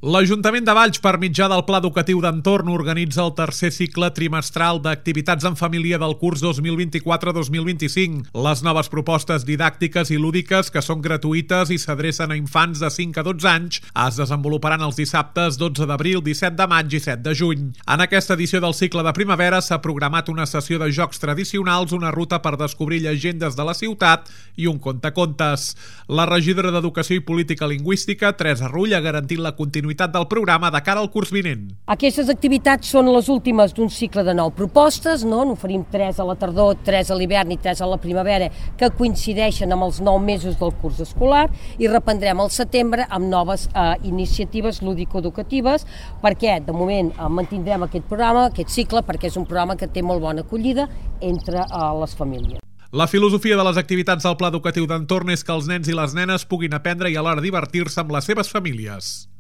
L'Ajuntament de Valls, per mitjà del Pla Educatiu d'Entorn, organitza el tercer cicle trimestral d'activitats en família del curs 2024-2025. Les noves propostes didàctiques i lúdiques, que són gratuïtes i s'adrecen a infants de 5 a 12 anys, es desenvoluparan els dissabtes 12 d'abril, 17 de maig i 7 de juny. En aquesta edició del cicle de primavera s'ha programat una sessió de jocs tradicionals, una ruta per descobrir llegendes de la ciutat i un contacontes. La regidora d'Educació i Política Lingüística, Teresa Rull, ha garantit la continuïtat del programa de cara al curs vinent. Aquestes activitats són les últimes d'un cicle de 9 propostes, n'oferim 3 a la tardor, 3 a l'hivern i 3 a la primavera, que coincideixen amb els 9 mesos del curs escolar, i reprendrem al setembre amb noves iniciatives lúdico-educatives, perquè de moment mantindrem aquest programa, aquest cicle, perquè és un programa que té molt bona acollida entre les famílies. La filosofia de les activitats del Pla Educatiu d'Entorn és que els nens i les nenes puguin aprendre i alhora divertir-se amb les seves famílies.